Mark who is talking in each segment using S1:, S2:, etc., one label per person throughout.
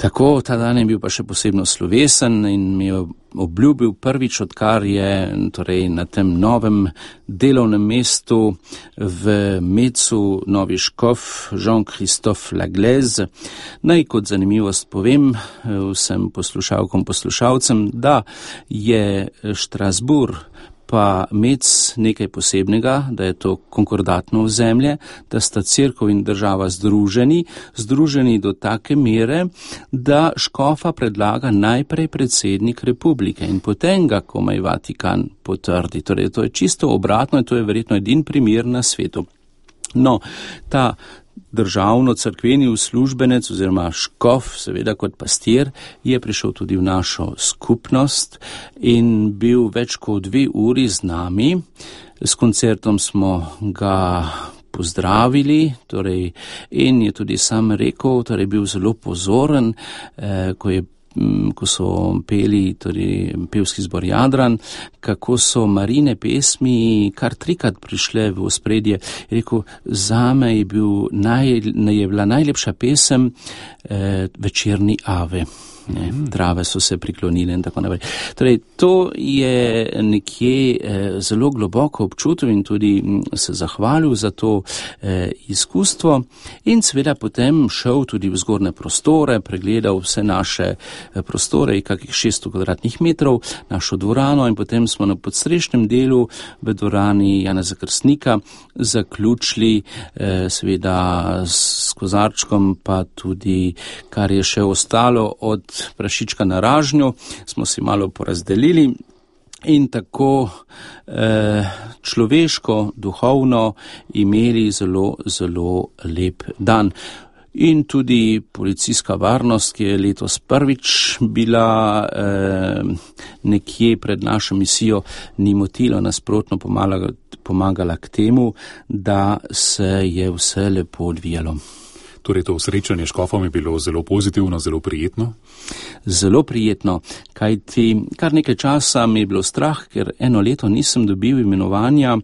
S1: Tako, ta dan je bil pa še posebno slovesen in mi je obljubil prvič, odkar je torej na tem novem delovnem mestu v Mecu novi škof Jean-Christophe Laglaise. Naj kot zanimivost povem vsem poslušalcem, da je Štrasburg pa Mec nekaj posebnega, da je to konkordatno ozemlje, da sta cerkev in država združeni do take mere, da škofa predlaga najprej predsednik republike in potem ga komaj Vatikan potrdi. Torej, to je čisto obratno in to je verjetno edini primer na svetu. No, ta državno-cerkveni uslužbenec oziroma škof, seveda kot pastir, je prišel tudi v našo skupnost in bil več kot 2 uri z nami. S koncertom smo ga pozdravili, torej, in je tudi sam rekel, torej bil zelo pozoren, ko so peli, torej pevski zbor Jadran, kako so Marine pesmi kar 3-krat prišle v ospredje. Je rekel, zame je bila najlepša pesem Večerni Ave. Trave so se priklonile in tako naprej. Torej, to je nekje zelo globoko občutil in tudi se zahvalil za to izkustvo in seveda potem šel tudi v zgornje prostore, pregledal vse naše prostore, kakih 600 kvadratnih metrov, našo dvorano in potem smo na podstrešnem delu v dvorani Janeza Krstnika zaključili seveda s kozarčkom, pa tudi kar je še ostalo od prašička na ražnju, smo si malo porazdelili in tako človeško, duhovno imeli zelo, zelo lep dan. In tudi policijska varnost, ki je letos prvič bila nekje pred našo misijo, ni motilo, nasprotno pomagala k temu, da se je vse lepo odvijalo.
S2: Torej to srečanje s škofom je bilo zelo pozitivno, zelo prijetno?
S1: Zelo prijetno, kajti kar nekaj časa mi je bilo strah, ker 1 leto nisem dobil imenovanja,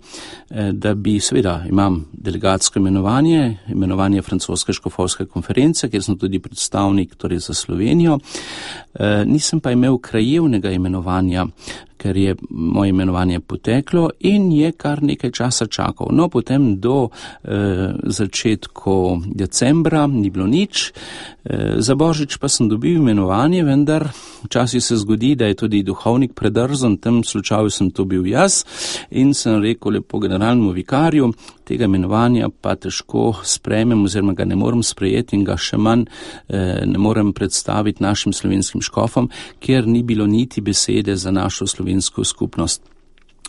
S1: da bi, seveda imam delegatsko imenovanje francoske škofovske konference, kjer sem tudi predstavnik torej za Slovenijo, nisem pa imel krajevnega imenovanja, ker je moje imenovanje poteklo in je kar nekaj časa čakal. No, potem do začetku decembra ni bilo nič, za Božič pa sem dobil imenovanje, vendar včasih se zgodi, da je tudi duhovnik predrzen, v tem slučaju sem to bil jaz in sem rekel lepo generalnemu vikarju, tega imenovanja pa težko sprejmem oziroma ga ne morem sprejeti in ga še manj ne morem predstaviti našim slovenskim škofom, ker ni bilo niti besede za našo slovensko skupnost.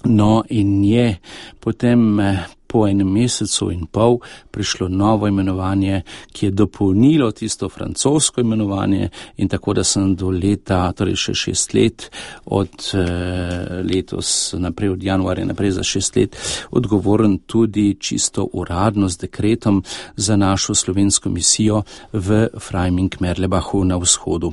S1: No in je potem po 1 mesecu in pol prišlo novo imenovanje, ki je dopolnilo tisto francosko imenovanje in tako, da sem do leta, torej še 6 let, od letos naprej, od januarja naprej za 6 let, odgovoren tudi čisto uradno z dekretom za našo slovensko misijo v Freiming-Merlebachu na vzhodu.